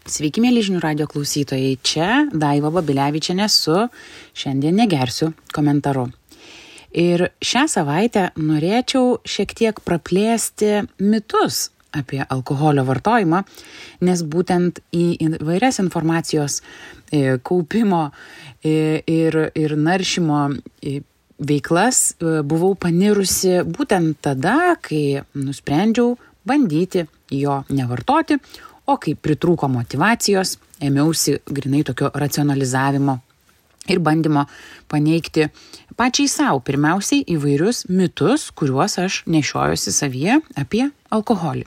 Sveiki, mėly žinių radijo klausytojai, čia Daiva Babilevičienė su Šiandien negersiu komentaru. Ir šią savaitę norėčiau šiek tiek praplėsti mitus apie alkoholio vartojimą, nes būtent į įvairias informacijos kaupimo ir naršymo veiklas buvau panirusi būtent tada, kai nusprendžiau bandyti jo nevartoti, o kai pritrūko motyvacijos, ėmiausi grynai tokio racionalizavimo ir bandymo paneigti pačiai savo pirmiausiai įvairius mitus, kuriuos aš nešiojuosi savyje apie alkoholį.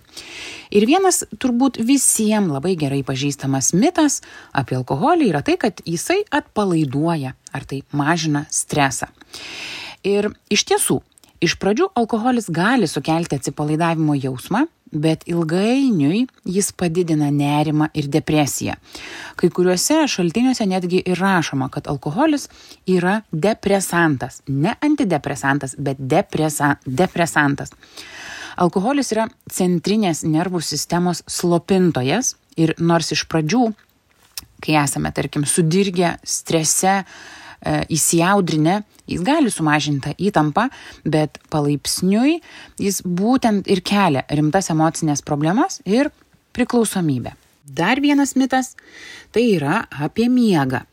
Ir vienas turbūt visiems labai gerai pažįstamas mitas apie alkoholį yra tai, kad jisai atpalaiduoja ar tai mažina stresą. Ir iš tiesų, iš pradžių alkoholis gali sukelti atsipalaidavimo jausmą, bet ilgainiui jis padidina nerimą ir depresiją. Kai kuriuose šaltiniuose netgi ir rašoma, kad alkoholis yra depresantas. Ne antidepresantas, bet depresantas. Alkoholis yra centrinės nervų sistemos slopintojas ir nors iš pradžių, kai esame, tarkim, sudirgę, strese, įsijaudrinę, jis gali sumažinti įtampą, bet palaipsniui jis būtent ir kelia rimtas emocinės problemas ir priklausomybę. Dar vienas mitas tai yra apie miegą.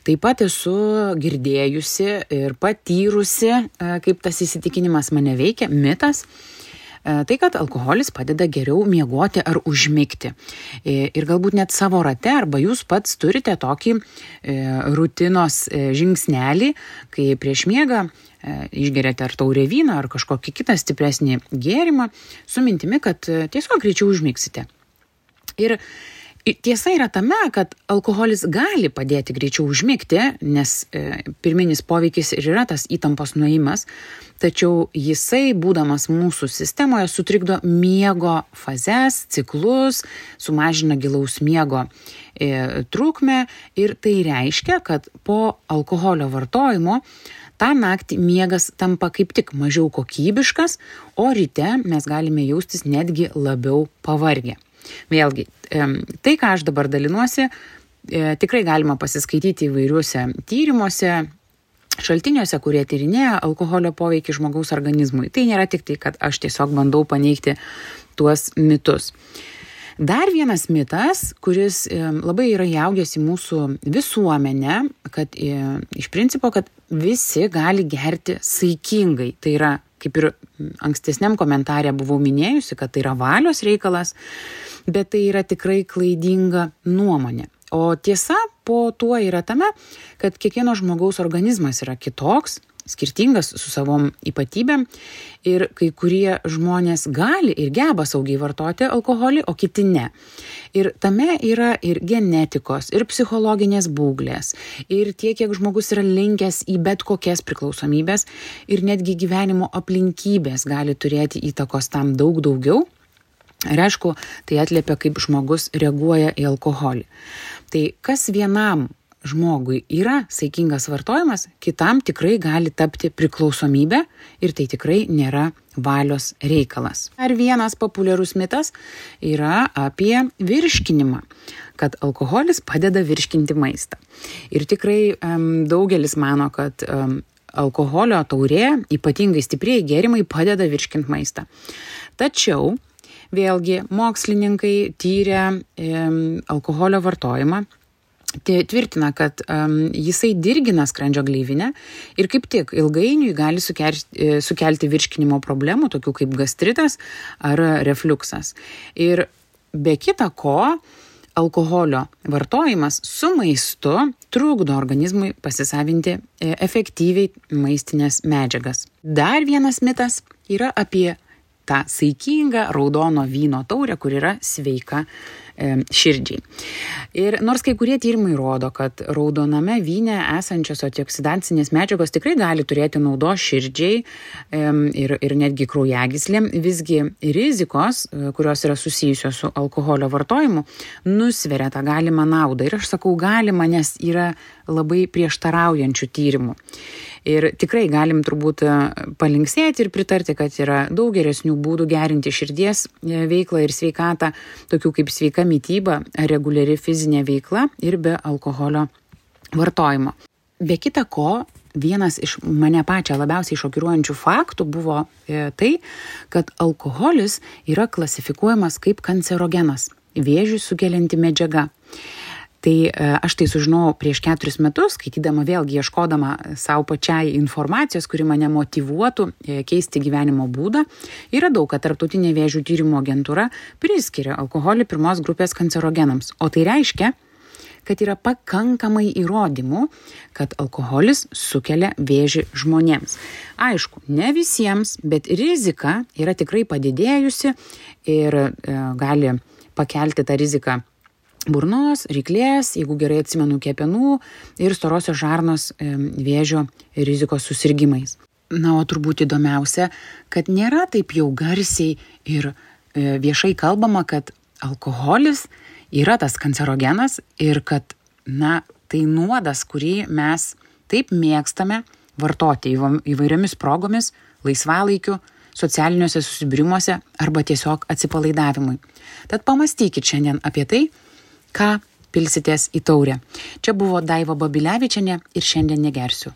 Taip pat esu girdėjusi ir patyrusi, kaip tas įsitikinimas mane veikia, mitas. Tai, kad alkoholis padeda geriau miegoti ar užmigti. Ir galbūt net savo rate arba jūs pats turite tokį rutinos žingsnelį, kai prieš miegą išgeriate ar taurę vyną ar kažkokį kitą stipresnį gėrimą su mintimi, kad tiesiog greičiau užmigsite. Ir tiesa yra tame, kad alkoholis gali padėti greičiau užmigti, nes pirminis poveikis ir yra tas įtampos nuėjimas, tačiau jisai, būdamas mūsų sistemoje, sutrikdo miego fazes, ciklus, sumažina gilaus miego trukmę ir tai reiškia, kad po alkoholio vartojimo tą naktį miegas tampa kaip tik mažiau kokybiškas, o ryte mes galime jaustis netgi labiau pavargę. Vėlgi, tai, ką aš dabar dalinuosi, tikrai galima pasiskaityti įvairiuose tyrimuose, šaltiniuose, kurie tyrinėja alkoholio poveikį žmogaus organizmui. Tai nėra tik tai, kad aš tiesiog bandau paneigti tuos mitus. Dar vienas mitas, kuris labai yra įaugęs į mūsų visuomenę, kad iš principo, kad visi gali gerti saikingai. Tai yra, kaip ir ankstesniam komentare buvau minėjusi, kad tai yra valios reikalas, bet tai yra tikrai klaidinga nuomonė. O tiesa po tuo yra tame, kad kiekvieno žmogaus organizmas yra kitoks, skirtingas su savom ypatybėm ir kai kurie žmonės gali ir geba saugiai vartoti alkoholį, o kiti ne. Ir tame yra ir genetikos, ir psichologinės būklės, ir tiek, kiek žmogus yra linkęs į bet kokias priklausomybės ir netgi gyvenimo aplinkybės gali turėti įtakos tam daug daugiau. Ir aišku, tai atliepia, kaip žmogus reaguoja į alkoholį. Tai kas vienam žmogui yra saikingas vartojimas, kitam tikrai gali tapti priklausomybė ir tai tikrai nėra valios reikalas. Ar vienas populiarus mitas yra apie virškinimą, kad alkoholis padeda virškinti maistą. Ir tikrai daugelis mano, kad alkoholio taurė, ypatingai stiprieji gėrimai, padeda virškinti maistą. Tačiau vėlgi mokslininkai tyrė alkoholio vartojimą, tvirtina, kad jisai dirgina skrandžio gleivinę ir kaip tik ilgainiui gali sukelti virškinimo problemų, tokių kaip gastritas ar refliuksas. Ir be kita ko, alkoholio vartojimas su maistu trukdo organizmui pasisavinti efektyviai maistinės medžiagas. Dar vienas mitas yra apie tą saikingą raudono vyno taurę, kur yra sveika širdžiai. Ir nors kai kurie tyrimai rodo, kad raudoname vyne esančios antioksidancinės medžiagos tikrai gali turėti naudos širdžiai ir netgi kraujagyslėm, visgi rizikos, kurios yra susijusios su alkoholio vartojimu, nusveria tą galimą naudą. Ir aš sakau galima, nes yra labai prieštaraujančių tyrimų. Ir tikrai galim turbūt palinksėti ir pritarti, kad yra daug geresnių būdų gerinti širdies veiklą ir sveikatą, tokių kaip sveika mityba, reguliari fizinė veikla ir be alkoholio vartojimo. Be kita ko, vienas iš mane pačią labiausiai šokiruojančių faktų buvo tai, kad alkoholis yra klasifikuojamas kaip kancerogenas, vėžį sukelianti medžiaga. Tai aš tai sužinojau prieš 4 metus, skaitydama vėlgi ieškodama savo pačiai informacijos, kuri mane motyvuotų keisti gyvenimo būdą. Ir radau, kad Tarptautinė vėžių tyrimų agentūra priskiria alkoholį 1 grupės kancerogenams. O tai reiškia, kad yra pakankamai įrodymų, kad alkoholis sukelia vėžį žmonėms. Aišku, ne visiems, bet rizika yra tikrai padidėjusi ir gali pakelti tą riziką burnos, ryklės, jeigu gerai atsimenu, kepenų ir storosios žarnos vėžio rizikos susirgimais. Na, o turbūt įdomiausia, kad nėra taip jau garsiai ir viešai kalbama, kad alkoholis yra tas kancerogenas ir kad, tai nuodas, kurį mes taip mėgstame vartoti įvairiomis progomis, laisvalaikiu, socialiniuose susibūrimuose arba tiesiog atsipalaidavimui. Tad pamastykit šiandien apie tai, ką pilsitės į taurę. Čia buvo Daiva Babilevičienė ir šiandien negersiu.